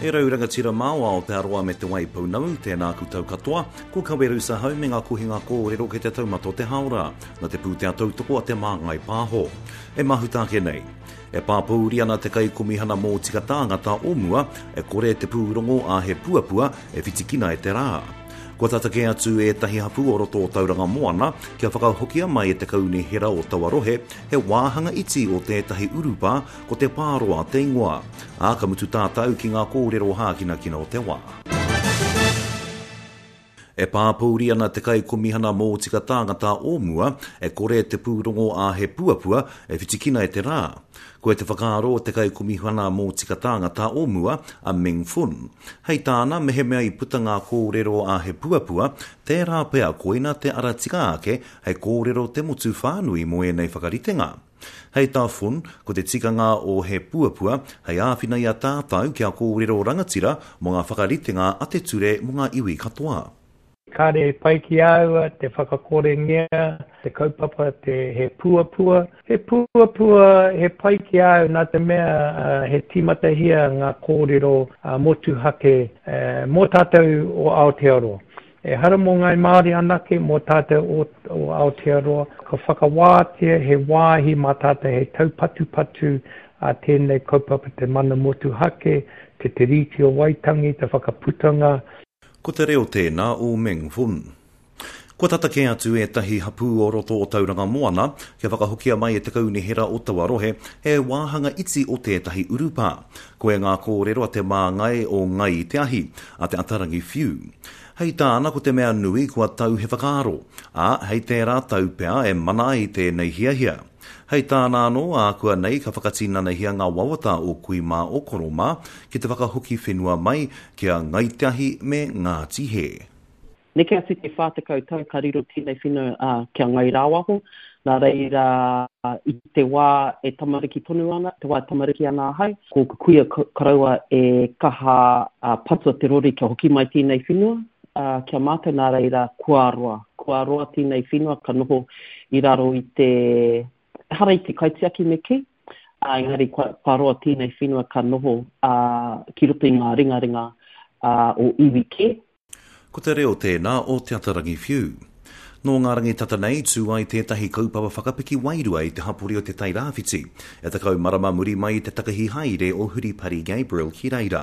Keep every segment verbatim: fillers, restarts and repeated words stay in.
E rau rangatira mā o Aotearoa me Te Waipounamu, tēnā koutou katoa, ko Kaweru Sahau me ngā kohinga kōrero kei te taumata o te haora, nā te pūtea tautoko a Te Māngai Pāho. E mahuta ake nei. E pāpōuri ana te Kaikomihana Mōtika Tāngata o mua, e kore te pūrongo a He Puapua e whitikina e te rā. Kua tata kē atu ētahi hapū o roto o Tauranga Moana kia whakahokia mai e te kaunihera o taua rohe he wāhanga iti o tētahi urupā ko Te Pāroa te ingoa. Ā, ka mutu tātou ki ngā kōrero hākinakina o te wā. E pāpōuri ana te Kaikomihana Mōtika Tāngata o mua, e kore te pūrongo a He Puapua e whitikina e te rā. Koe te whakaaro o te Kaikomihana Mōtika Tāngata o mua, a Meng Foon. Hei tāna, mehemea i puta ngā kōrero a He Puapua, tērā pea koina te ara tika ake hei kōrero te motu whānui mō ēnei whakaritenga. Hei tā Foon, ko te tikanga o He Puapua hei āwhina i a tātou kia kōrero rangatira mō ngā whakaritenga a te ture mō ngā iwi katoa. Kāre e pai ki āua te whakakorengia, te kaupapa, te he puapua. He puapua he pai ki au nā te mea he tīmatahia ngā kōrero motuhake mō tātou o Aotearoa. Ehara mō Ngāi Māori anake, mō tātou o, o Aotearoa. Ka whakawātea he wāhi mā tātou hei taupatupatu a tēnei kaupapa te mana motuhake, te Te Tiriti o Waitangi, te whakaputanga. Ko te reo tēnā o Meng Foon. Kua tata kē atu ētahi hapū o roto o Tauranga Moana kia whakahokia mai e te kaunihera o taua rohe he wāhanga iti o tētahi urupā. Koe ngā kōrero a te māngai o Ngai Te Ahi, a Te Atarangi Whiu. Hei tāna ko te mea nui kua tau he whakaaro, ā, hei tērā tau pea e mana ai tēnei hiahia. Hei tāna anō, ākua nei ka whakatinanahia ngā wawata o kui mā o koro mā ki te whakahoki whenua mai ki a Ngai Te Ahi me Ngāti Hē. Neke atu te whā tekau tau ka riro tēnei whenua uh, kia Ngai Rāwaho. Nā reira i te wā e tamariki tonu ana, te wā e tamariki ana ahau, ko kuia koroua e kaha uh, patua te rori kia hoki mai tēnei whenua, uh, kia mātou nā reira kua roa. Kua roa tēnei whenua ka noho i raro i te ehara i te kaitiaki me kī, uh, engari kua, kua roa tēnei whenua ka noho uh, ki roto i ngā ringaringa uh, o iwi kē. Ko te reo tēnā o Te Atarangi Whiu. Nō ngā rangi tata nei, tū ai tētahi kaupapa whakapiki wairua i te hapori o Te Tairāwhiti, e tekau marama muri mai i te takahi haere o Huripari Gabriel ki reira.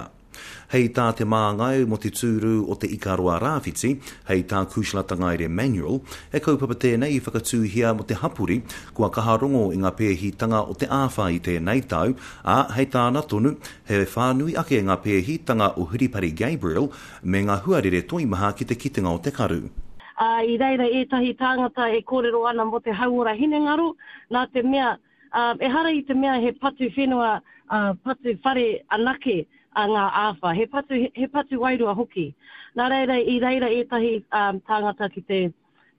Hei tā te māngai mō te tūru o Te Ikaroa Rāwhiti, hei tā Kushla Tangaere Manuel, he kaupapa tēnei i whakatūhia mō te hapori, kua kaha rongo i ngā pēhitanga o te āwhā i tēnei tau, ā, hei tāna tonu, he whānui ake ngā pēhitanga o Huripari Gabriel me ngā huarere toimaha ki te kitenga o te karu. Uh, i reira ētahi tāngata e kōrero ana mō te hauora hinengaro, nā te mea, uh, ehara i te mea he patu whenua, uh, patu whare anake a ngā āwhā, he patu, he patu wairua hoki. Nā reira, i reira ētahi um, tāngata ki te,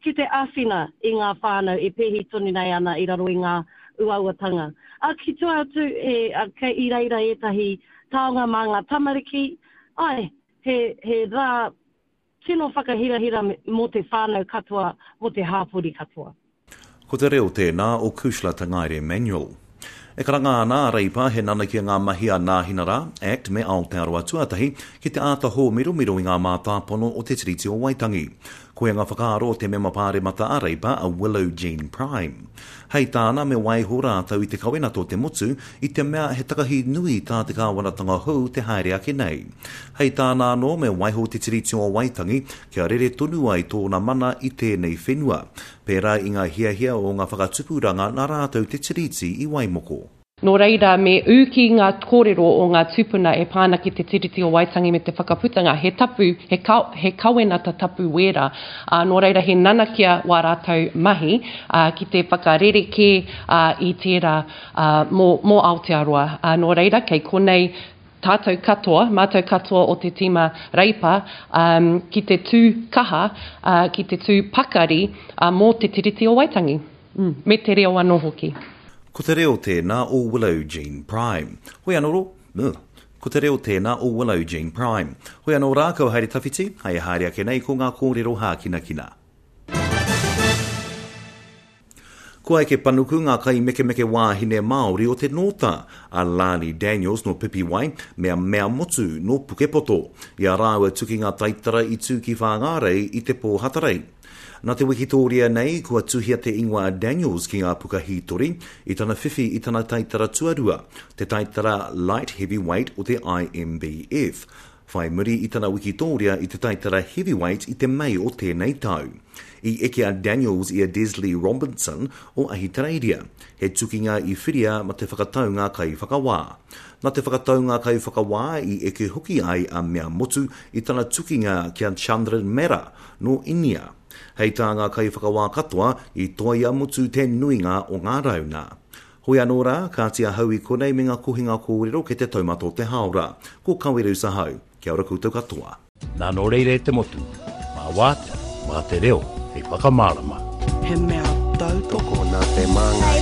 ki te āwhina i ngā whānau e pēhi tonu nei ana i raro i ngā uauatanga. A, ki tua atu, he, a, kei i reira ētahi taonga mā ngā tamariki, ai, he, he rā tino whakahirahira mō te whānau katoa, mō te hāpori katoa. Ko te reo tēnā o Kushla Tangaere Manuel. E karanga ana a Reipa he nanakia ngā mahi a Nāhinara, Act me Aotearoa Tuatahi ki te āta hōmiromiro i ngā mātāpono o te Tiriti o Waitangi. Koia ngā whakaaro o te mema pāremata a Reipa a Willow Jean Prime. Hei tāna me waiho rātou i te kawenata o te motu i te mea he takahi nui tā te kāwanatanga hou te haere ake nei. Hei tāna anō me waiho te Tiriti o Waitangi kia rere tonu ai tōna mana i tēnei whenua. Pērā i ngā hiahia o ngā whakatupuranga nā rātou te Tiriti i Waimoko. Nō reira, me ū ki ngā kōrero o ngā tūpuna e pā ana ki te Tiriti o Waitangi me te whakaputanga, he tapu, he, ka, he kawenata tapu wērā. Uh, nō reira, he nanakia wā rātou mahi uh, ki te whakarerekē uh, i tērā uh, mō, mō Aotearoa. Uh, nō reira, kei konei tātou katoa, mātou katoa o te tīma Reipa, um, ki te tū kaha, uh, ki te tū pakari uh, mō te Tiriti o Waitangi, mm, me te reo anō hoki. Ko te reo tēnā o Willow Jean Prime. Hoi anō ro, ugh. Ko te reo tēnā o Willow Jean Prime. Hoi anō rā, kau haere tawhiti, hei haere ake nei ko ngā kōrero hākinakina. Kua eke panuku ngā kaimekemeke wāhine Māori o te Nōta, a Lani Daniels no Pipiwai me a Mea Motu no Pukepoto, i a rāua tukinga taitara i tū ki Whāngārei i te pō Hatarei. Nā te wikitōria nei, kua tuhia te ingoa a Daniels ki ngā puka hītori i tana whiwhi i tana taitara tuarua, te taitara light heavyweight o te I M B F, whai muri i tana wikitōria i te taitara heavyweight i te Mei o tēnei tau. I eke a Daniels i a Desley Robinson o Ahitereiria, he tukinga i whiria ma te whakataunga kaiwhakawā. Nā te whakataunga kaiwhakawā i eke hoki ai a Mea Motu i tana tukinga ki a Chandran Mera no Inia. Hei tā ngā kaiwhakawā katoa i toa i a Motu te nuinga o ngā rauna. Hoi anō rā, kāti ahau i konei me ngā kohinga kōrero kei te taumata o te hāora. Ko Kaweru Sahau. Kia ora koutou katoa. Nā nō reira e te motu, mā wātea, mā te reo, hei whakamārama. He mea tautoko nā te Māngai.